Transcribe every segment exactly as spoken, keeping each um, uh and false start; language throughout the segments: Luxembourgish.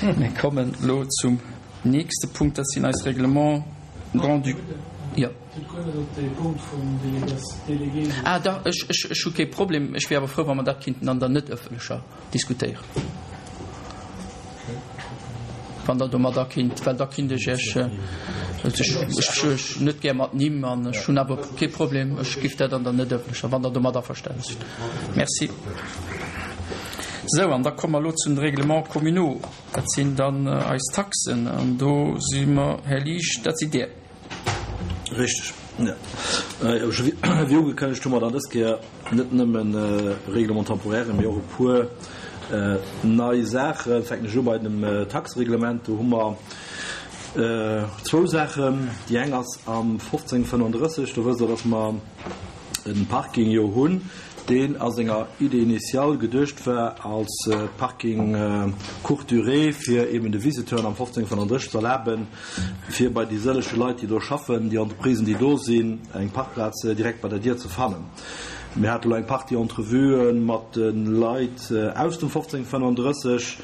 Mir kommen elo zum nächste Punkt, dat sinn eis Règlements grand-duc. Jo. Ah, dach, ech, ech, ech hu kee Problem. Ech wier awer frou, wa mer dat kinnten an der net ëffentlecher diskutéieren. Wann Der domadder kinnt, well da kinnt ech Iech, ech, ech ech net gär mat Nimm an ech hunn awer kee Problem, ech giff dat an der net ëffentlecher, wann Der domat averstane sidd. Merci. Sou, an da komme mer elo zu den Règlements communaux. Dat sinn dann eis Taxen an do si mer, Här Liesch, dat sidd Dir. Richteg, jo. Wéi ugekënnegt hu mer dann dës Kéier net nëmmen Règlement-temporairen, mee och e puer nei Saachen. Fänken ech u bei dem Taxereglement. Do hu mer zwou Saachen. Déi eng ass am fofzéng fënnenddrësseg. Do wësst Der, dass mer e Parking jo hunn, deen a senger Idée initiale geduecht war als Parking courte durée, fir eben de Visiteuren am fofzéng fënnenddrësseg ze erlaben, fir bei déi sëllege Leit, déi do schaffen, déi Entreprisen, déi do sinn, eng Parkplaz direkt bei der Dier ze fannen. Mir hate lo eng Partie Entrevuë mat de Leit aus dem fofzéng fënnenddrësseg,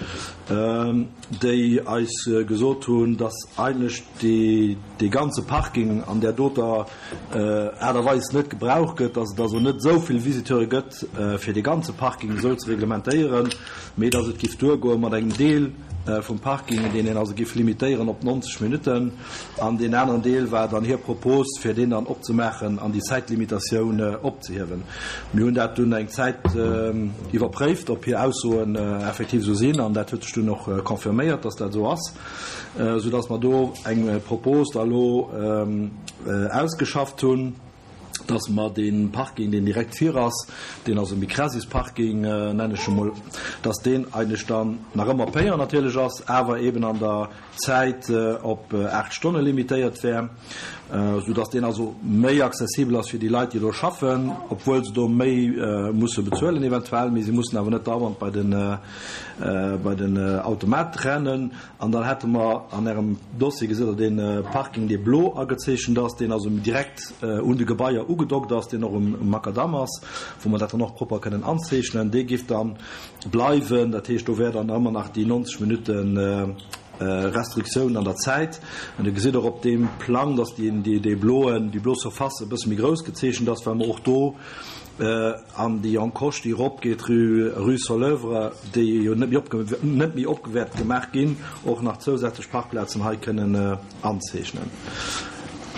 déi eis gesot hunn, dass eigentlech dee ganze Parking an där doter Aart a Weis net gebraucht gëtt, dass et also net esou vill Visiteure gëtt, fir dee ganze Parking esou ze reglementéieren, mee dass et géif duergoe mat engem Deel vum Parking, deen een also géif limitéieren op neunzeg Minutten. An deen aneren Deel war dann hir Propos, fir deen dann opzemaachen an déi Zäitlimitatioun opzehiewen. Mir hunn dat dunn eng Zäit iwwerpréift, ob hir Aussoen effektiv esou sinn, an dat huet sech dunn och confirméiert, dass dat esou ass, soudass mer do eng Propos da elo ausgeschafft hunn, dass mer dee Parking, deen direkt vir ass, deen also Micrasis-Parking, nennen ech emol, dass deen eigentlech dann nach ëmmer payant natierlech ass, awer eben an der Zäit op aacht Stonne limitéiert wär, soudass deen also méi accessibel ass fir déi Leit, déi do schaffen, obwuel se do méi musse bezuelen eventuell, mee se mussen awer net dauernd bei den, bei den Automat rennen. An dann hätte mer an Ärem Dossier, gesitt Der dee Parking, dee blo agezeechent ass, deen also direkt un de Gebaier ugedockt ass, deen och um Makadamm ass, wou mer dat dann och propper kënnen anzeechnen. Dee géif da bleiwen. Dat heescht, do wär dann ëmmer nach déi neunzeg Minutten Restriktioun an der Zäit. An Dir gesitt och op deem Plang, dass déi bloen, déi blo Surface e bësse méi grouss gezeechent ass, well mer och do an déi Encoche, déi eropgeet rue, rue Soleuvre, déi jo net méi opge, net méi opgewäert gemaach ginn, och nach zousätzlech Parkplazen hei kënnen anzeechnen.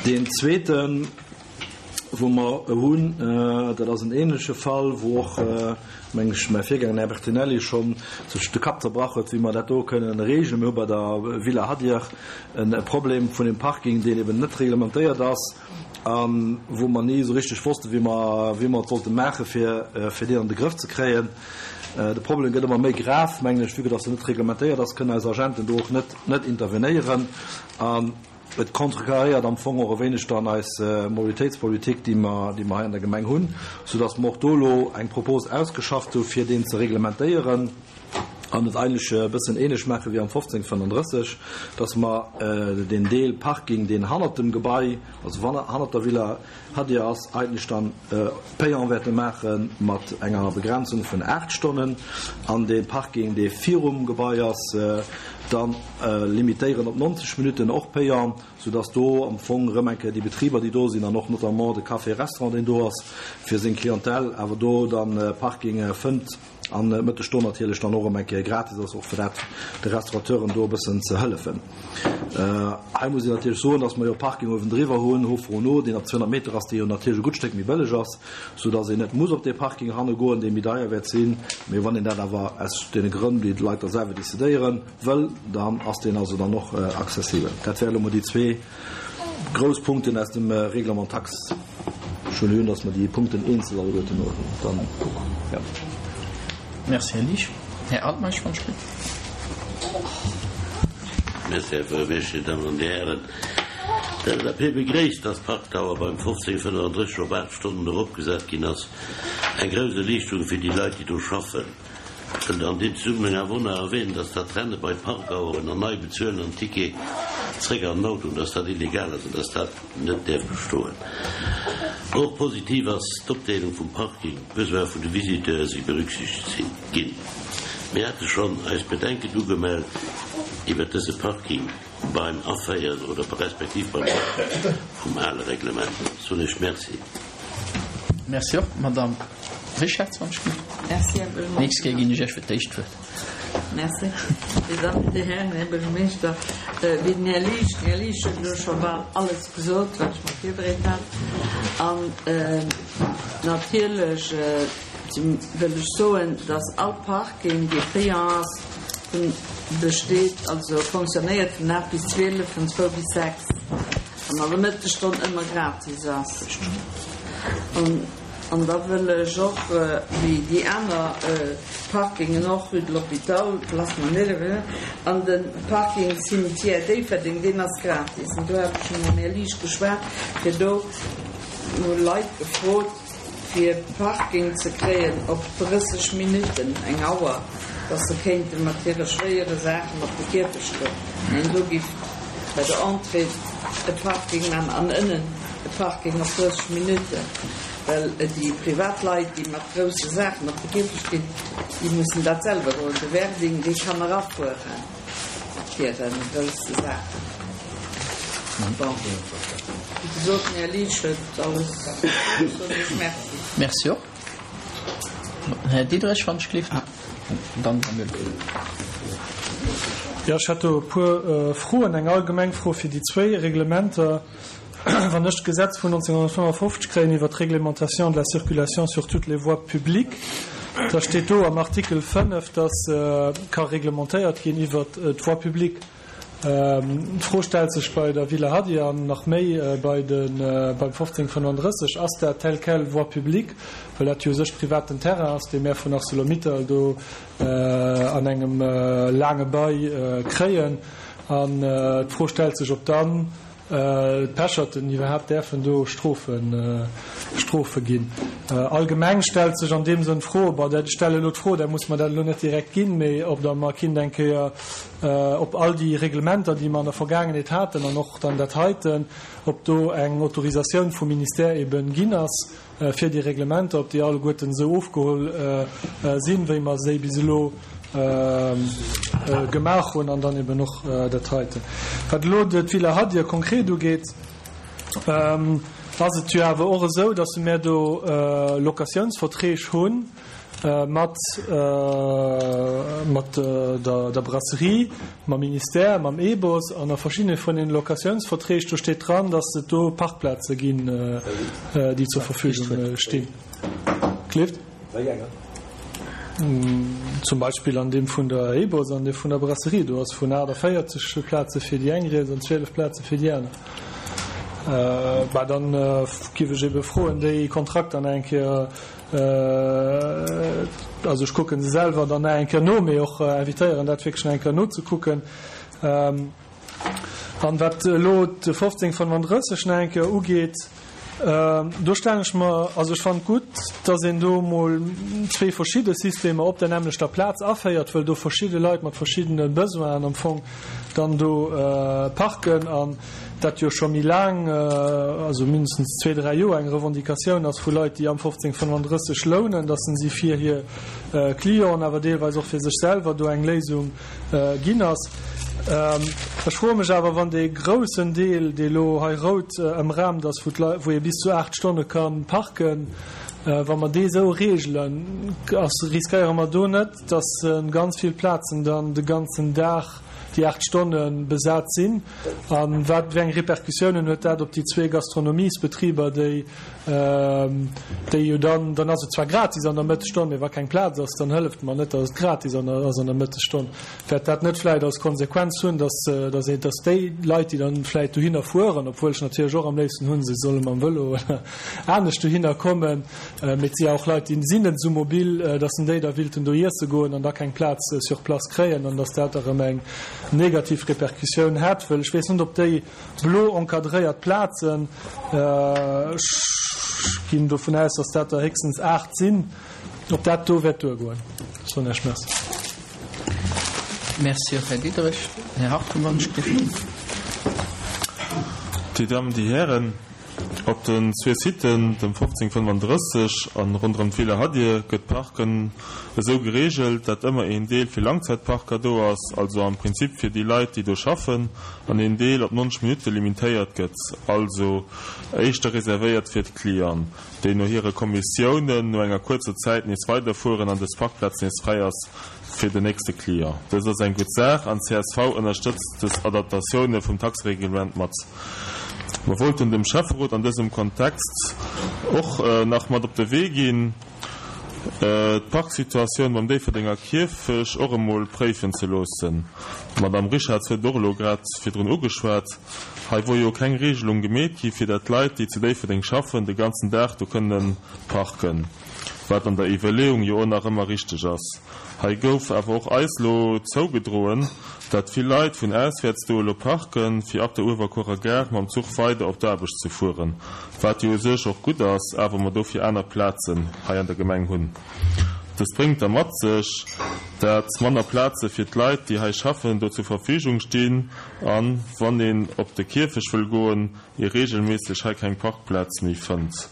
Deen zweeten, wou mer e hunn, dat ass en ähnleche Fall, wou och, meng ech, mäi Virgänger, den Här Bertinelli, schonn sech de Kapp zerbrach huet, wéi mer dat do kënnen regeln. Mir hu bei der Villa Hadir e Problem vun dem Parking, deen eben net reglementéiert ass a wou mer ni esou richteg wossten, wéi mer, wéi mer et sollte maachen, fir, fir deen an de Grëff ze kréien. De Problem gëtt ëmmer méi grav, mengen ech, vue que dass en net reglementéiert ass, kënnen eis Agenten do och net, net intervenéieren. An et contrecarréiert am Fong och e wéineg dann eis Mobilitéitspolitik, déi mer, déi mer hei an der Gemeng hunn, soudass mer och do elo eng Propos ausgeschafft hu fir deen ze reglementéieren an et eigentlech e bëssen ähnlech maache wéi am fofzéng fënnenddrësseg, dass mer deen Deel Parking, deen hannert dem Gebai, also hannert der Villa Hadir ass, eigentlech dann payant wäerte maache mat enger Begrenzung vun aacht Stonnen an dee Parking, dee virum Gebai ass, dann limitéieren op neunzeg Minutten, och payant, soudass do am Fong erëm eng Kéier déi Betriber, déi do sinn, an och notamment de Café-Restaurant, deen do ass, fir seng Clientèle awer do dann Parking fënnt an mëtteg do natierlech dann och erëm eng Kéier gratis ass, och fir dat de Restaurateuren do e bëssen ze hëllefen. Hei muss een natierlech soen, dass mer jo Parking uewendriwwer hunn, Hof Renault, deen op zweehonnert Meter ass, dee jo natierlech e gutt Stéck méi bëlleg ass, soudass een net muss op dee Parking hanne goen, dee méi deier wäert sinn. Mee wann een dat awer aus deene Grënn, déi d'Leit da selwer decidéieren, wëll, dann ass deen also dann och accessibel. Dat wäre lo mol déi zwee grouss Punkten aus dem Règlement taxe. Ech huelen un, dass mer déi Punkten eenzel alleguerten dann, jo. Merci, Här Liesch. Här Altmeisch, wann ech bitt. Merci, Här Buergermeeschter, Dir Dammen an Dir Hären. D'L S A P begréisst, dass d'Parkdauer beim fofzéng fënnenddrësseg op aacht Stonnen eropgesat ginn ass. Eng grouss Erliichterung fir déi Leit, déi do schaffen. Ech wëll an deem Zesummenhang awer och nach erwähnen, dass dat Renne bei Parkaueren an nei bezuelen an Ticket zréck an den Auto, dass dat illegal ass an dass dat net däerf bestoen. Och positiv ass d'Opdeelung vum Parking, d'Besoin vun de Visiteure si berücksichtegt ginn. Mir hate schonn eis Bedenken ugemellt, iwwert dëse Parking beim Aféieren oder respektiv beim vum ale Reglement. Soen ech Merci. Merci och, Madamm Richard, wann ech Merci, Här Buergermeeschter. Nächst Kéier ginn ech Iech fir d'éischt d'Wuert. Merci. Dir Dammen, Dir Hären, Här Buergermeeschter, wéi den Här Liesch, den Här Liesch huet elo scho bal alles gesot, wat ech mer virbereet hat. An natierlech wëll ech soen, dass all Parking, dee payant ass, besteet, also fonctionnéiert vun aacht bis zwielef, vun zwou bis sechs an an der Mëttesstonn ëmmer gratis ass. An da wëll ech och, wéi déi aner Parkingen och, Rue de l'Hôpital, Place Manuel, an de Parking Cimetière Déifferdeng, deen ass gratis. An do hat ech scho mam Här Liesch geschwat, fir do hu Leit gefrot, fir Parking ze kréien op drësseg Minutten, eng Auer, dass se kéinte mat hire schwéiere Saachen op de Kierfecht goen. Mä do giff bei der Entrée e Parking man an ënnen e Parking op drësseg Minutten, well déi privat Leit, déi mat grousse Saachen op de Kierfecht ginn, déi mussen dat selwer droen. De Werding, dee kann erafuere mat hire grousse Saachen. Bon, wéi gesot, den Här Liesch huet alles gesot, soen ech Merci. Merci och. Här Diderich, wann ech gleef. Dann Här Müller. Jo, ech hätt do e puer Froen. Eng allgemeng Fro fir déi zwéi Reglementer. Wann ech d'Gesetz vun nonzénghonnertfënnefofzeg kréien iwwer d'Réglementation de la circulation sur toutes les voies publiques, da steet do am Artikel fënnef, dass ka reglementéiert ginn iwwer d'Voie publique. D'Fro stellt sech bei der Villa Hadi an nach méi bei de beim fofzéng fënnenddrësseg, ass dat tel quel voie publique, well dat jo u sech privaten Terrain ass, dee mär vun ArcelorMittal do an engem laange Bail kréien. An d'Fro stellt sech, ob dann d'Pecherten iwwerhaapt däerfen do Strofe Strofe ginn. Allgemeng stellt sech an deem Sënn d'Fro, bon, ech stelle elo d'Fro, där muss mer dat elo net direkt ginn, mee ob der mer kinnt eng Kéier op all déi Reglementer, déi mer an der Vergaangenheet haten an och dann dat heiten, ob do eng Autorisatioun vum Ministère eben ginn ass fir déi Reglementer, ob déi alleguerten esou ofgeholl sinn, wéi mer se bis elo gemaach hunn an dann eben och dat heiten. Wat elo d'Villa Hadir konkret ugeet, ass et jo awer och esou, datt mir do Locatiounsverträg hunn mat mat der der Brasserie, mam Ministère, mam EBOS an a verschiddene vun den Locatiounsverträg, do steet dran, datt et do Parkplaze ginn, déi zur Verfügung stinn. Kleeft? Zum Beispill an deem vun der EBOS an dee vun der Brasserie, do ass vun aachtavéierzeg Plaze fir déi eng rieds an zwielef Plaze fir déi aner. Bah, dann giff ech ebe froen, déi Kontrakter nach eng Kéier, also ech kucken se selwer dann nach eng Kéier no, mee och invitéieren, dat wierklech nach eng Kéier nozekucken. An wat elo de fofzéng fënnenddrësseg nach eng Kéier ugeet, do stellen ech mer, also ech fannen et gutt, dass een do emol zwee verschidde Systemer op der nämmlechter Plaz aféiert, wëll do verschidde Leit mat verschiddene Besoinen am Fong dann do parken an dat jo scho méi laang, also mindestens zwee, dräi Joer eng Revendicatioun ass vu Leit, déi am fofzéng fënnenddrësseg lounen, dass se fir hir Clienten, awer deelweis och fir sech selwer do eng Léisung ginn ass. Ech froe mech awer, wann dee groussen Deel, dee elo hei rout ëmraamt ass, wou d'Leit, wou ee bis zu aacht Stonne ka parken, wa mer dee esou reegelen, ass, riskéiere mer do net, dass ganz vill Plazen dann de ganzen Dag déi aacht Stonne besat sinn? A wat, wéi eng Repercussiounen huet dat op déi zwee Gastronomiesbetriber, déi, déi jo dann, dann ass et zwar gratis an der Mëttesstonn, mee wa keng Plaz ass, dann hëlleft mer net, datt et gratis an der, ass an der Mëttesstonn. Wäert dat net vläicht als Konsequenz hunn, datt, datt ee, datt déi Leit, déi dann vläicht dohinner fueren, obwuel ech natierlech och am léifsten hunn, se solle mam Vëlo oder anescht dohinner kommen, mee et si ja och Leit, déi sinn net esou mobil, datt en déi da willten do iesse goen an da keng Plaz sur place kréien an datt dat erëm eng negativ Repercussioun hätt, wëll ech weess net, ob déi blo encadréiert Plazen, ech ginn dovun aus, datt dat der héchstens aacht sinn, ob dat do wäert duergoen. Soen Iech Merci. Merci och, Här Diderich. Här Hartung, wann ech dierf. Dir Dammen, Dir Hären, Op den zwee Siten, dem fofzéng fënnefandrësseg an ronderëm d'Villa Hadir, gëtt d'Parken esou gereegelt, dat ëmmer een Deel fir Langzäitparker do ass, also am Prinzip fir déi Leit, déi do schaffen, an een Deel op nonzeg Minutte limitéiert gëtt, also éischter reservéiert fir d'Clienten, déi no hire Kommissiounen no enger kuerzer Zäit nees weiderfueren an dës Parkplaz nees fräi ass fir den nächste Client. Dëst ass eng gutt Saach an csv ënnerstëtzt dës Adaptatioune vum Taxereglement mat. Mer wollten dem Schäfferot an dësem Kontext och nach mat op de Wee ginn, d'Parksituatioun beim Déifferdenger Kierfech och emol préifen ze loossen. D'Madame Richarz huet et och elo grad virdrun ugeschwat. Hei wor jo keng Regelung gemeet gi fir dat d'Leit, déi zu Déifferdeng schaffen, de ganzen Dag do kënnen parken, wat an der Iwwerleeung jo och nach ëmmer richteg ass. Hei gouf awer och eis lo zougedroen, dat vill Leit vun auswäerts do elo parken, fir ab der Uewerkuerer Gare mam Zuch weider op d'Aarbecht ze fueren, wat jo u sech och gutt ass, awer mer dofir aner Plazen hei an der Gemeng hunn. Dëst bréngt da mat sech, dat manner Plaze fir d'Leit, déi hei schaffen, do zur Verfügung stinn an, wann een op de Kierfech wëll goen, ee reegelméisseg hei keng Parkplaz méi fënnt.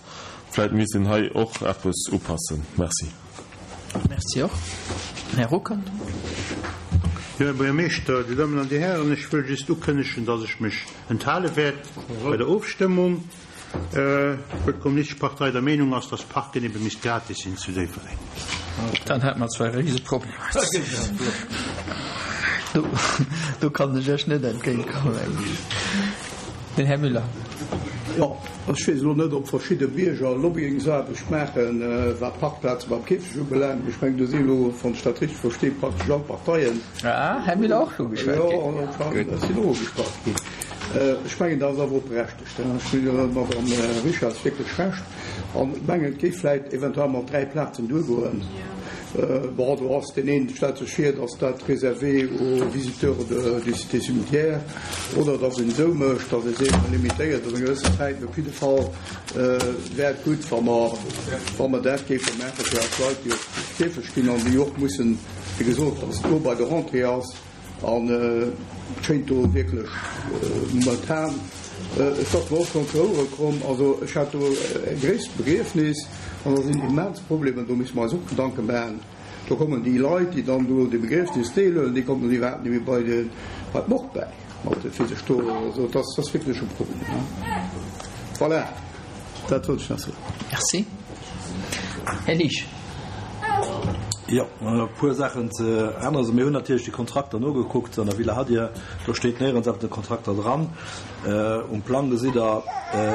Vläit misst een hei och eppes upassen. Merci. Merci och. Här Ruckert. Jo, Här Buergermeeschter, Dir Dammen an Dir Hären, ech wëll just ukënnegen, dass ech mech enthale wäert bei der Ofstëmmung, well d'Kommunistesch Partei der Meenung ass, dass Parken ebe misst gratis sinn zu Déifferdeng. Dann hätte mer zwar e Riseproblem. Do, do kann ech Iech net entgéintkommen. Den Här Müller. Jo, ech weess elo net, ob verschidde Bierger Lobbyingsaarbecht maachen, wat d'Parkplaze beim Kierfecht ubelaangt. Mee ech mengen, do si elo, wann ech dat richteg versti, praktesch all Parteien. Ah, Här Müller och ugeschwat ginn. Jo, ech sinn och ugeschwat ginn. Ech mengen, dat ass awer och berechtegt. Ech hunn der Madame Richarz wierklech Recht. An ech mengen, et géif vläicht eventuell mat dräi Plazen duergoen. Bon, do ass deen een stellt sech vir, datt dat réservé aux visiteurs de, du Cité cimetière, oder datt een esou mécht, datt ee seet, mer limitéiert op eng gewëssen Zäit. Mee op jidde Fall wär et gutt, wa mer, wa mer dat géife maache fir eis Leit, déi op de Kierfecht ginn an déi och mussen, wéi gesot, datt et do bei der Rentrée ass. An et schéint do wierklech momentan, et ass mer och schonn zu Ouere komm, also ech hat do e gréisst Begriefnis an da sinn immens Problemer, do musse mer eis och Gedanke maachen. Do kommen déi Leit, déi dann do de Begriefnis deelhuelen, déi kommen dann iwwerhaapt net méi bei de, bei d'Morgue bäi mat fir sech do, also et ass, ass wierklech e Problem. Voilà, dat wollt ech nach soen. Merci. Här Liesch. Jo, e puer Saachen ze änneren. Also mir hunn natierlech déi Kontrakter nogekuckt an der Villa Hadir. Do steet néierens eppes an de Kontrakter dran. Um Plang gesitt Der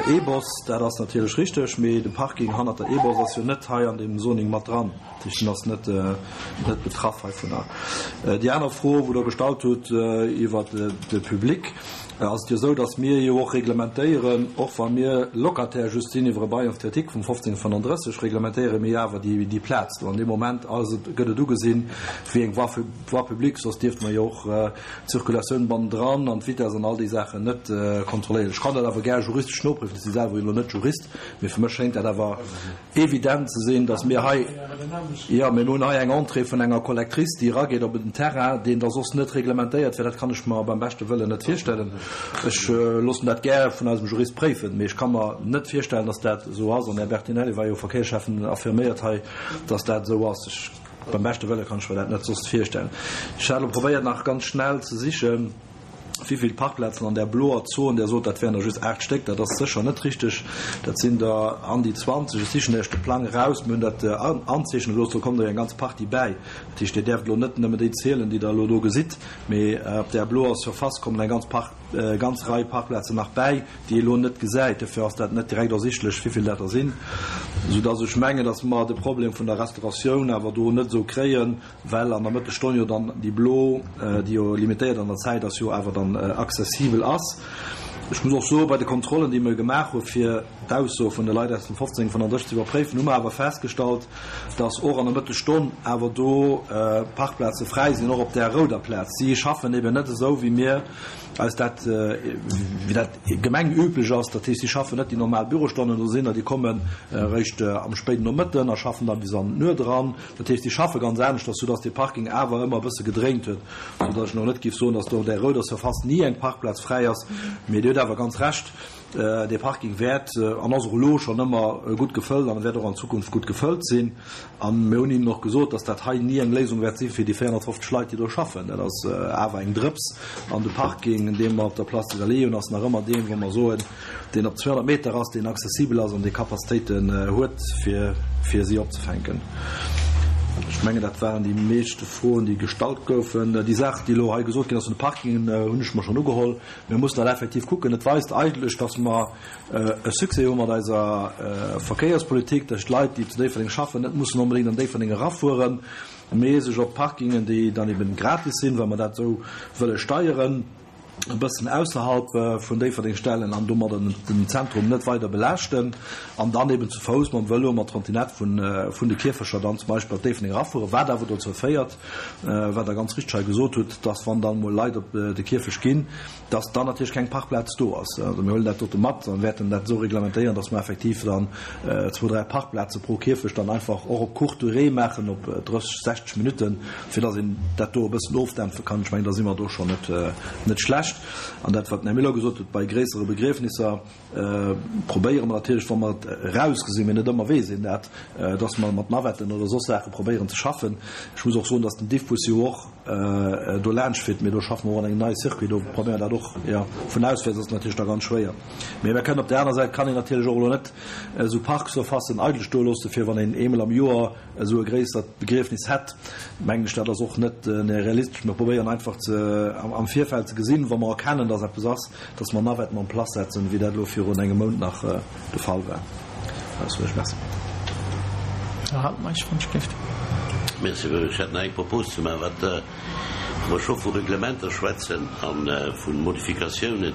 E-Bus, dat ass natierlech richteg, mee de Parking hannert der E-Bus ass jo net hei an deem Zoning mat dran. Dat heescht, en ass net, net betraff heivunner. Déi aner Fro, wou Der gestallt hutt iwwert de Public, ass et jo esou, datt mir jo och reglementéieren, och wa mir Locataire just sinn iwwer e Bail emphytéotique vum fofzéng fënnandrësseg, reglementéiere mir jo awer déi, déi Plaz do. An deem Moment ass et, gëtt et ugesinn wéi eng Voie, Voie publique, soss dierfte mer jo och d'Circulatioun bannendran an d'Vitesse an all déi Saachen net kontrolléieren. Ech kann dat awer gär juristesch noprüfen, ech si selwer jo elo net Jurist, mee fir mech schéngt dat awer evident ze sinn, datt mir hei, jo, mir hunn hei eng Entrée vun enger Collectrice, déi erageet op en Terrain, deen da soss net reglementéiert wär. Dat kann ech mer beim beschte Wëllen net virstellen. Ech loossen dat gär vun eisem Jurist préifen, mee ech ka mer net virstellen, datt dat esou ass. An den Här Bertinelli war jo Verkéiersschäffen, affirméiert hei, datt dat esou ass. Ech, beim beschte Wëlle kann ech mer dat net soss virstellen. Ech hat elo probéiert, nach ganz schnell ze sichen, wéi vill Parkplazen an där bloer Zon. Där sot, dat wären der just aacht Stéck. Dat ass sécher net richteg. Dat sinn der an déi zwanzeg. Ech sichen Iech de Plang eraus. Mir hunn dat anzeechne gelooss. Do kommen der jo eng ganz Partie bäi. Dat heescht, Dir däerft elo net nëmme déi zielen, déi Der elo do gesitt, mee op där bloer Surface kommen eng ganz Park, ganz Rei Parkplazen nach bäi, déi ee elo net gesäit. Dofir ass dat net direkt ersichtlech, wéi vill dat der sinn, soudass ech mengen, dass mer de Problem vun der Restauratioun awer do net esou kréien, well an der Mëttesstonn jo dann déi blo, déi jo limitéiert an der Zäit ass, jo awer dann accessibel ass. Ech muss och soen, bei de Kontrollen, déi mer gemaach hu fir d'Aussoe vun de Leit aus dem fofzéng fënnandrësseg ze iwwerpréifen, hu mer awer festgestallt, dass och an der Mëttesstonn awer do Parkplaze fräi sinn, och op där rouder Plaz. Si schaffen eben net esou, wéi mir eis dat, wéi dat gemengüblech ass. Dat heescht, si schaffen net déi normal Bürostonnen, do sinn der, déi kommen eréischt am spéiden Nomëtten a schaffen da bis an d'Nuet eran. Dat heescht, si schaffe ganz aneschters, soudass dee Parking awer ëmmer e bësse gedréint huet, soudass ech elo net géif soen, dass do op där rouder Surface ni eng Parkplaz fräi ass. Mee Dir hutt awer ganz Recht, dee Parking wäert an ass och elo schonn ëmmer gutt gefëllt an e wäert och an Zukunft gutt gefëllt sinn. A mir hunn hinnen och gesot, dass dat hei ni eng Léisung wäert si fir déi véierhonnertfofzeg Leit, déi do schaffen. Dat ass awer eng Drëps. An de Parking, dee mer op der Place des Allées hunn, ass nach ëmmer deen, wou mer soen, deen op zweehonnert Meter ass, deen accessibel ass an dee Capacitéiten huet, fir, fir si opzefänken. Ech mengen, dat waren déi meeschte Froen, déi gestallt goufen. Déi Saach, déi elo hei gesot ginn ass vun de Parkingen, hunn ech mer schonn ugeholl. Mir mussen dat effektiv kucken. Et weist eigentlech, dass mer e Succès hu mat eiser Verkéierspolitik, dass d'Leit, déi zu Déifferdeng schaffen, net mussen onbedéngt an Déifferdeng erafueren, mee sech op Parkingen, déi dann eben gratis sinn, well mer dat esou wëlle steieren, e bëssen ausserhalb vun Déifferdeng stellen an domadder den Zentrum net weider belaaschten an dann eben zu Fouss, mam Vëlo, mat Trottinett vun vun de Kierfecher dann zum Beispill op Déifferdeng erafueren, wat awer dozou féiert, wat Der ganz richteg hei gesot hutt, dass wann dann emol Leit op de Kierfecht ginn, dass dann natierlech keng Parkplaz do ass. Also mir huelen dat dote mat an wäerten dat esou reglementéieren, dass mer effektiv dann zwou, dräi Parkplaze pro Kierfecht dann einfach och op courte durée maachen, op drësseg, sechzeg Minutten, fir dass een dat do e bëssen ofdämpfe kann. Ech mengen, da si mer do schonn net, net schlecht. An dat, wat den Här Miller gesot huet, bei gréissere Begriefnisser probéiere mer natierlech, wa mer et erausgesinn, mee net ëmmer weess een dat, dass mer mat Navetten oder soss Saache probéieren ze schaffen. Ech muss och soen, dass den Diffbus jo och do laanscht fiert, mee do schaffe mer och an engem neie Circuit, do probéiere mer dat och. Jo, vun auswäerts ass et natierlech da ganz schwéier. Mee mer kënnen op där aner Säit kann een natierlech och elo net esou Parksurfacen eidel stoe loosse fir wann een eemol am Joer esou e gréissert Begriefnis hätt, mengen ech, dat ass och net realistesch. Mer probéieren einfach ze am Virfeld ze gesinn, wa mer erkennen, dass eppes ass, dass mer Navetten en place setzen, wéi dat elo virun engem Mount nach de Fall war. Merci. Här Altmeisch, wann ech géif. Merci. Ech hätt nach eng Propos ze maachen, wat wa mer scho vu Reglementer schwätzen a vu Modifikatiounen.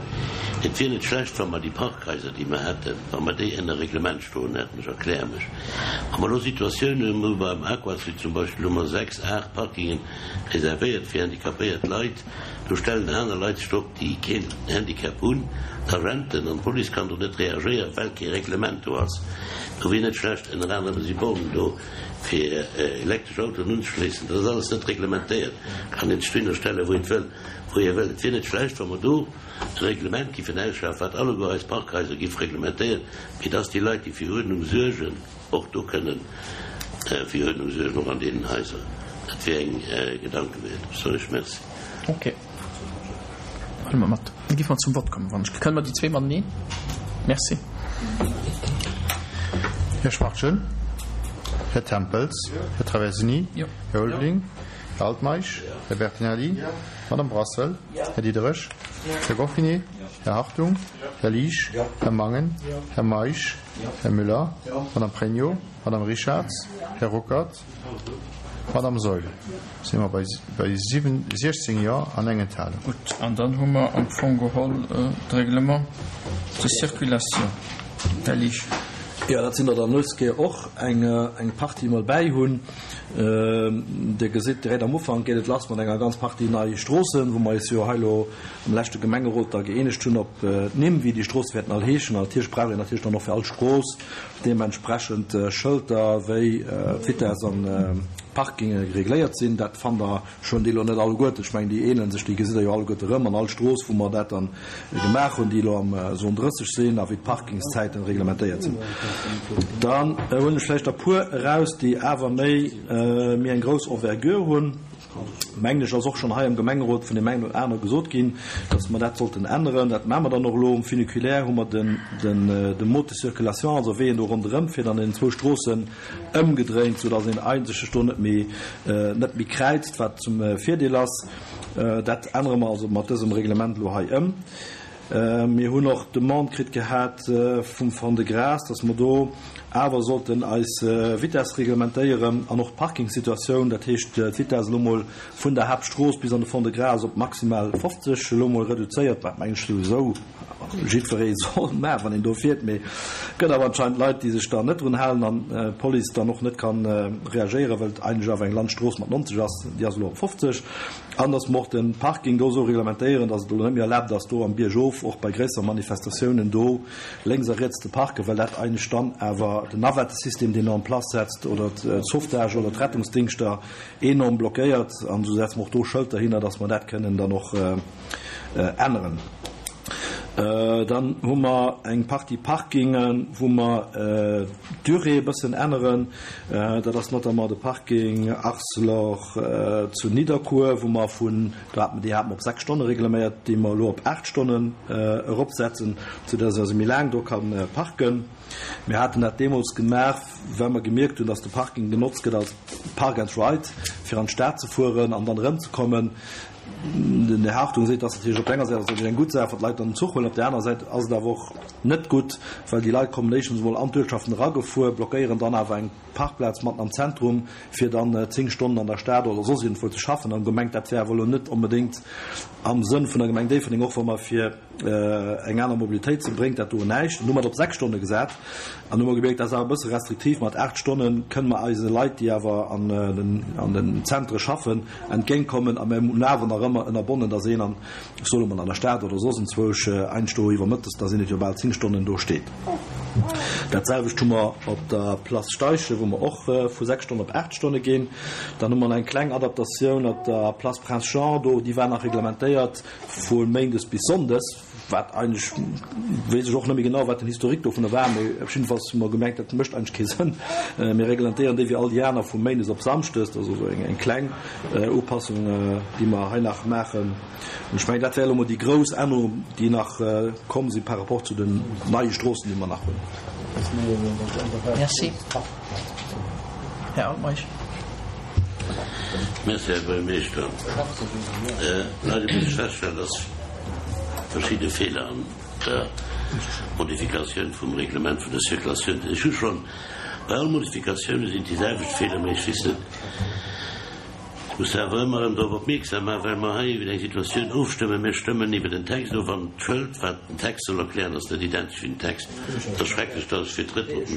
Et wier net schlecht, wa mer déi Parkhaiser, déi mer hätten, wa mer déi ënner Reglement stoen hätten. Ech erkläre mech. Wa mer elo Situatiounen hunn, wou beim Aquasud zum Beispill hu mer sechs, aacht Parkingen reservéiert fir handicapéiert Leit, do stellen aner Leit sech drop, déi keen Handicap hunn, d'Agenten an d'Police kann do net reagéieren, well kee Reglement do ass. Do wier net schlecht, ënner anerem si Bornen do, fir elektresch Autoen unzeschléissen. Dat ass alles net reglementéiert, kann een sech dohinner stellen, wou een wëll, wou ee wëll. Et wier net schlecht, wa mer do e Reglement giffen ausschaffen, wat alleguer eis Parkhaiser giff reglementéieren, fir dass déi Leit, déi fir Uerdnung suergen, och do kënnen fir Uerdnung suergen, och an deenen Haiser. Dat wier eng Gedanke wäert. Ech soen lech Merci. Ok, huele mer mat. Da giffe mer zum Vott kommen, wann ech. Kënne mer déi zwee mateneen? Merci. Här Schwachtgen, Här Tempels, Här Traversini, Här Ulveling, Här Altmeisch, Här Bertinelli, Madame Brassel, Här Diderich, Här Goffinet, Här Hartung, Här Liesch, Här Mangen, Här Meisch, Här Müller, Madame Pregno, Madame Richarz, Här Ruckert, Madame Saeul. Si mer bei siechzéng Jo an eng Enthalung. Gutt, an dann hu mer am Fong geholl de Règlement de circulation. Här Liesch. Jo, dat sinn der dann dës Kéier och eng Partie mol bäi hunn. Dir gesitt, direkt am Ufank geet et lass mat enger ganz Partie nei Stroossen, wou mer eis jo hei elo am leschte Gemengerot da gëeenegt hunn op d'Nimm, wéi déi Stroosse wäerten all heeschen. An natierlech brauch een natierlech dann och fir all Strooss deementsprechend Schëlter, wéi d'Vitess an d'Parkinge regléiert sinn. Dat fannt Der schonn, déi elo net alleguerten, ech mengen, déi ähnele sech, déi gesitt Der jo alleguerte erëm an all Strooss, wou mer dat dann gemaach hunn, déi elo am Zone drësseg sinn a wéi d'Parkingszäiten reglementéiert sinn. Dann huelen ech vläicht der puer eraus, déi awer méi, méi eng grouss Envergure hunn. Mengen ech, ass och schonn hei am Gemengerot vun deem engen oder anere gesot ginn, dass mer dat sollten änneren. Dat maache mer dann och elo. Um Funiculaire hu mer den, den, de Mode de circulation, also wéi een do ronderëm fiert an deenen zwou Stroossen, ëmgedréint, soudass een eigentlech sech do net méi, net méi kräizt, wat zum Virdeel ass. Dat ännere mer also mat dësem Reglement elo hei ëm. Mir hunn och d'Demande kritt gehat vum Fond de Gras, dass mer do awer sollten eis Vitess reglementéieren an och d'Parkingsituatioun, dat heescht d'Vitess elo mol vun der Haaptstrooss bis an de Fond de Gras op maximal fofzeg elo mol reduzéiert, wat mengen ech souwisou jiddweree soll maachen, wann een do fiert. Mee et gëtt awer anscheinend Leit, déi sech da net drun halen an d'Police dann och net ka reagéieren, well et eigentlech awer eng Landstrooss mat nonzeg ass, déi ass elo op fofzeg. An dass mer och de Parking do esou reglementéieren, dass et elo net méi erlaabt ass, do am Biergof och bei gréisser Manifestatiounen do lénks a riets ze parken, well dat eigentlech dann awer den Navettesystem, deen en place setzt, oder d'Sauvetage oder d'Rettungsdingschter enorm blockéiert. An esou setze mer och do Schëlter hinner, dass mer dat kënnen dann och änneren. Dann hu mer eng Partie Parkingen, wou mer d'Durée e bëssen änneren. Dat ass notamment de Parking Arcelor zu Nidderkuer, wou mer vun, do hate mer, déi hate mer op sechs Stonne regleméiert, déi mer elo op aacht Stonnen eropsetzen, soudass een also méi laang do ka parken. Mir haten dat deemools gemaach, well mer gemierkt hunn, dass de Parking genotzt gëtt als Park and Ride, fir an d'Stad ze fueren an dann erëmzekommen. Den Här Hartung seet, dass natierlech op der enger Säit ass dat eng gutt Saach, wann d'Leit dann den Zuch huelen, op der anerer Säit ass et awer och net gutt, well déi Leit kommen éischtens emol an d'Uertschaften eragefuer, blockéieren dann awer eng Parkplaz matten am Zentrum, fir dann zéng Stonnen an der Stad oder soss iergendwou ze schaffen. An gemengt, dat wär awer elo net onbedéngt am Sënn vun der Gemeng Déifferdeng, och wa mer fir eng aner Mobilitéit sinn, bréngt dat do näischt. An hu mer et op sechs Stonne gesat an hu mer gemierkt, dat ass awer e bësse restriktiv, mat aacht Stonne kënne mer eise Leit, déi awer an den an den Zentre schaffen, entgéintkommen a mir hunn awer nach ëmmer ënnerbonnen, dass een an, ech soe mol, an der Stad oder soss enzwousch einscht do iwwer mëttes, da sinn et jo bal zéng Stonnen, do steet. Dat selwecht hu mer op der Place Steichen, wou mer och vu sechs Stonnen op aacht Stonne ginn. Dann hu mer nach eng kleng Adaptatioun op der Place Prince Jean, do, déi war nach reglementéiert vu méindes bis sonndes, wat eigentlech, weess ech och net méi genau, wat den Historique dovunner war, mee op jiddefalls hu mer gemengt, dat mécht eigentlech kee Sënn. Mir reglementéieren déi wéi all déi aner vu méindes op samschdes. Dat ass also eng, eng kleng Upassung, déi mer hei nach maachen. An ech mengen, dat wär elo mol déi grouss Ännerung, déi nach komm si par rapport zu den neie Stroossen, déi mer nach hunn. Merci. Här Altmeisch. Merci, Här Buergermeeschter. Leider muss ech feststellen, dass verschidde Feeler an der Modifikatioun vum Reglement vun der Circulatioun sinn. Ech hu schonn, bei all Modifikatioune sinn déi selwecht Feeler, mä ech weess net, ech muss awer ëmmer erëm drop opmierksam maachen, well mer hei iwwer eng Situatioun ofstëmmen. Mir stëmmen iwwer den Text of an d'Schëld, wat den Text soll erklären, ass net identesch wéi den Text. Et ass schrecklech, dass ech fir d'drëtt Mol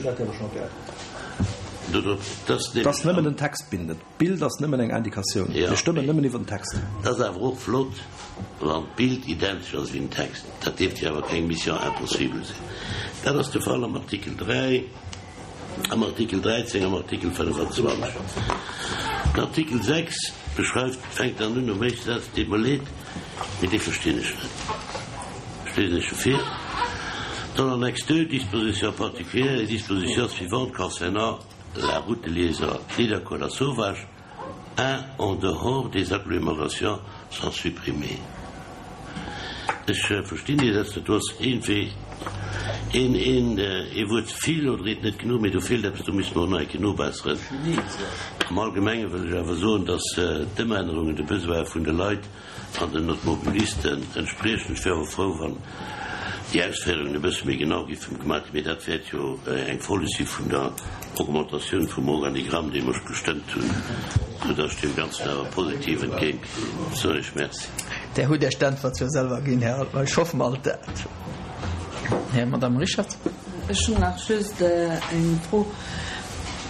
do drop, dass Et ass nëmmen den Text bindend. D'Bild ass nëmmen eng Indikatioun. Mir stëmmen nëmmen iwwer den Text. Et ass awer och flott, wann d'Bild identesch ass wéi den Text. Dat dierft jo awer keng Mission impossible sinn. Dat ass de Fall am Artikel dräi, am Artikel dräizéng, am Artikel fënnefazwanzeg. Den Artikel sechs beschreift, fänkt dann un nom éischte Saz, deet mer leed, mee dee verstinn ech net. Ech liesen Iech e vir, Dans l'annexe deux, dispositions particulières, les dispositions suivantes concernant la route de liaison Nidderkuer-Lasauvage un en dehors des agglomérations sont supprimées. Ech verstinn déi Sätz net. Do ass iergendwéi een, een, ee Wuert ze vill oder eent net genuch, mee do feelt eppes, do misste mer och nach eng Kéier nobesseren. Am Allgemenge wëll ech awer soen, dass d'Ëmännerungen de Besoin vun de Leit an den Automobilisten entspriechen. Ech wär och frou, wann déi Ausféierungen e bësse méi genau géifen gemaach ginn, mee dat wäert jo eng Folleg si vun der Augmentatioun vum Organigramm, dee mer gestëmmt hunn, soudass ech deem Ganzen awer positiv entgéint soen ech Merci. Där hutt Iech d'Äntwert jo selwer ginn, Här Altmeisch. Ech hoffe mol dat. Här, Madame Richard. Ech hunn nach just eng Fro.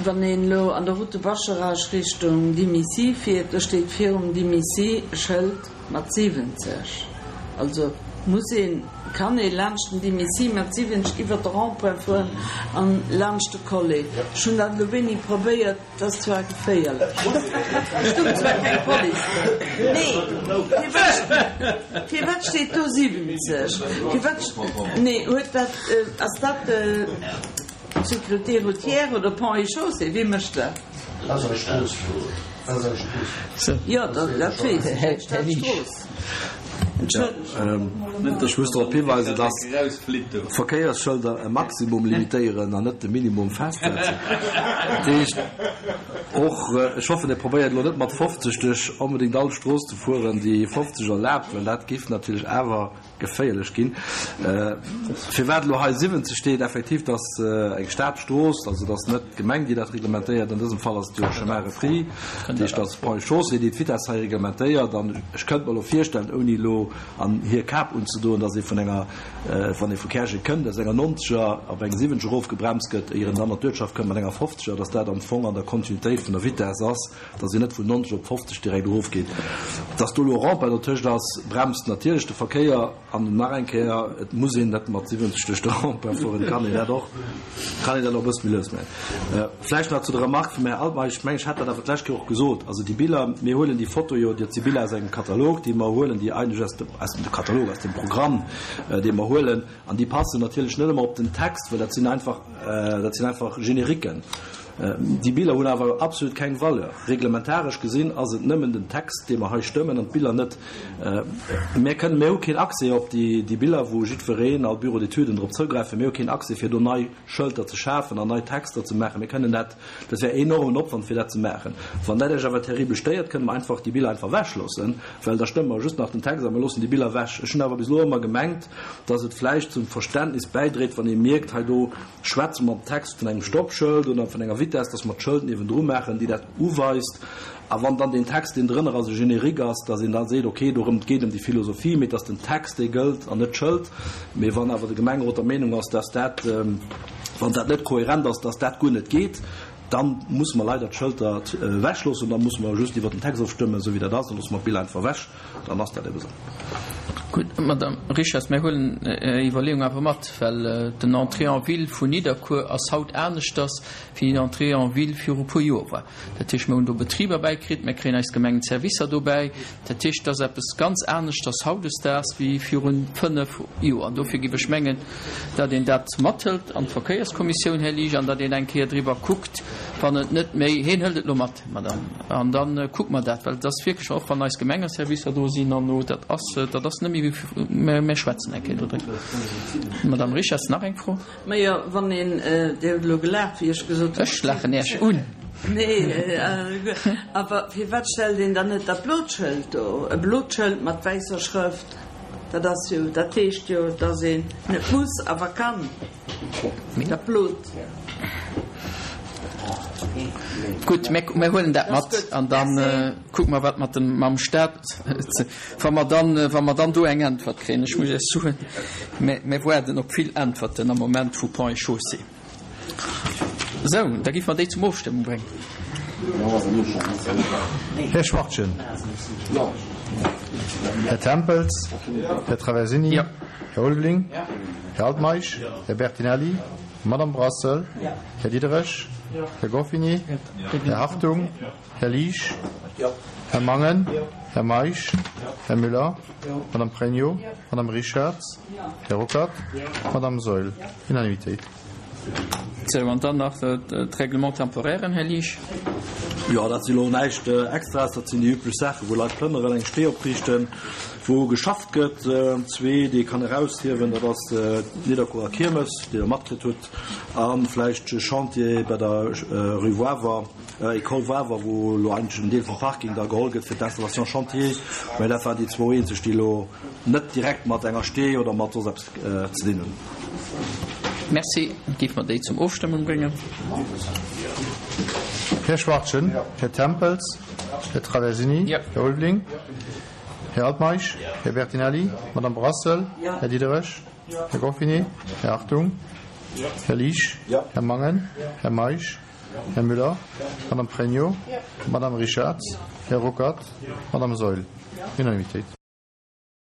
Wann een elo an der Route de Bascharage Richtung Dimissy fiert, do steet virum Dimissy e Schëld mat siwwenzeg. Also muss een, kann ee laanscht den Dimissy mat siwwenzeg iwwert de Rond-point fueren an laanscht de Collet. Ech hunn dat elo wéini probéiert, et ass zwar geféierlech, et stoung zwar keng Police do. Nee, firwat, firwat steet do siwwenzeg? Firwat, nee, huet dat, ass dat. Sécurité routière oder Ponts et Chaussées, wie mécht dat? Dat ass eis Strooss. Dat ass eis Strooss. Jo, dat weess ech, eng Stadstrooss. Entschëllegt. Ech muss drop hiweisen, dass d'Verkéiersschëlder e Maximum limitéieren an net de Minimum festsetzen. Dat heescht och, ech hoffen, Dir probéiert elo net mat fofzeg duerch onbedéngt all Strooss ze fueren, déi fofzeg erlaabt, well dat géif natierlech awer geféierlech ginn. Firwat elo hei siwwenzeg steet, effektiv, dat ass eng Stadstrooss, also dat ass net d'Gemeng, déi dat reglementéiert. An dësem Fall ass et jo Chemin repris, dat heescht, dat ass Ponts et Chaussées, déi d'Vitesse hei reglementéiert. An ech kënnt mer elo virstellen, ouni elo an hir Kap unzedoen, datt ee vun enger, wann ee vu Käerjeng kënnt, aus enger Nonzeger op eng Siwwenzeger erofgebremst gëtt, éier en dann an d'Uertschaft kënnt mat enger Fofzeger, datt dat am Fong an der Kontinuitéit vun der Vitesse ass, datt een net vun nonzeg op fofzeg direkt erofgeet. Datt do elo e Rond-point dotëscht ass, bremst natierlech de Verkéier. An nach eng Kéier, et muss een net mat siwwenzeg duerch de Rond-point fueren, et kann een dat och, kann een dat och e bësse méi lues maachen. Vläicht nach zu der Remarque vum Här Altmeisch, ech mengen, ech hat dat awer d'lescht Kéier och gesot, also déi Biller, mir huelen déi Foto jo, dat si Biller aus engem Katalog, déi mer huelen, déi eigentlech aus dem, aus dem Katalog, aus dem Programm, dee mer huelen, an déi passen natierlech net ëmmer op den Text, well dat sinn einfach, dat sinn einfach Génériquen. Déi Biller hunn awer absolut keng Valeur. Reglementaresch gesinn ass et nëmmen den Text, dee mer hei stëmmen, an d'Biller net. Mir kënnen, mir hu keen Accès op déi, déi Biller, wou jiddwereen, all Bureau d'étuden drop zougräifen. Mir hu keen Accès, fir do nei Schëlter ze schafen an nei Texter ze maachen. Mir kënnen dat, dat wär enormen Opwand, fir dat ze maachen. Wann dat Iech awer terribel stéiert, kënne mer einfach déi Biller einfach ewechloossen, well da stëmme mer just nach den Text a mer loossen déi Biller ewech. Ech hunn awer bis elo ëmmer gemengt, dass et vläicht zum Verständnis bäidréit, wann ee mierkt, hei do schwätze mer am Text vun engem Stoppschëld oder vun enger Vitess, dass mer d'Schëld niewendru maachen, déi dat uweist. A wann dann deen Text, deen drënner ass, e Générique ass, dass een da seet, okay, dorëm et geet ëm déi Philosophie, mee et ass den Text, dee gëllt an net d'Schëld. Mee wann awer de Gemengerot der Meenung ass, dass dat, wann dat net kohärent ass, dass dat guer net geet, da musse mer leider d'Schëlter ewechloossen. Da musse mer just iwwert den Text ofstëmmen, esou wéi dat ass, da loosse mer d'Bild einfach ewech, dann ass dat ebe sou. Gutt, Madame Richarz, mir huelen Är Iwwerleeung awer mat, well den Entrée en ville vun Nidderkuer ass haut aneschters wéi den Entrée en ville viru puer Joer war. Dat heescht, mir hunn do Betriber bäikritt, mir kréien eis Gemengenservicer dobäi. Dat heescht, et ass eppes ganz aneschters hautdesdaags wéi viru fënnef Joer. An dofir géif ech mengen, datt een dat mathëlt an d'Verkéierskommissioun, Här Liesch, an datt een eng Kéier driwwer kuckt, wann et net méi, hien hëlt et elo mat, Madame, an da kucke mer dat, well et ass wierklech, och wann eis Gemengeservicer do sinn an no, dat ass, dat ass net méi wéi, mä mir schwätzen eng Kéier dodriwwer. Madame Richarz, nach eng Fro? Majo, wann een, Dir hutt elo gelaacht, wéi ech gesot hunn. Ech laachen Iech un. Nee, awer firwat stellt een dann net dat blot Schëld do? E blot Schëld mat wäisser Schrëft, dat ass jo, dat heescht jo, dass een net muss, awer kann. Dat blot. Gutt, mir huelen dat mat an da kucke mer, wat mat dem, mam Stat, wa mer dann, wa mer dann do eng Äntwert kréien. Ech muss Iech soen, mir, mir waarden op vill Äntwerten am Moment vu Ponts et Chaussées. Sou, da géife mer déi zum Ofstëmmung bréngen. Här Schwachtgen. Här Tempels. Här Traversini. Här Ulveling. Här Altmeisch. Här Bertinelli. Madame Brassel. Här Diderich. Här Goffinet. Här Hartung. Här Liesch. Här Mangen. Här Meisch. Här Müller. Madame Pregno. Madame Richarz. Här Ruckert. Madame Saeul. Unanimitéit. Sou, an dann nach d'Règlements temporairen, Här Liesch. Jo, dat si lo näischt Extraes, dat sinn déi üblech Saachen, wou Leit plënneren, eng Stee opriichten, wou geschafft gëtt. Zwee, déi ee kann eraushiewen, dat ass d'Nidderkuerer Kiermes, déi Der matkritt hutt, a vläicht e Chantier bei der Rue Wawer, École Wawer, wou elo eigentlech en Deel vum Parking da geholl gëtt fir d'Installation chantier. Mä dat waren déi zwou eenzeg, déi elo net direkt mat enger Stee oder mat soss eppes ze dinn hunn. Merci. Géife mer déi zum Ofstëmmung bréngen. Här Schwachtgen, Här Tempels, Här Traversini, Här Ulveling, Här Altmeisch, Här Bertinelli, Madame Brassel, Här Diderich, Här Goffinet, Här Hartung, Här Liesch, Här Mangen, Här Meisch, Här Müller, Madame Pregno, Madame Richarz, Här Ruckert, Madame Saeul. Unanimitéit.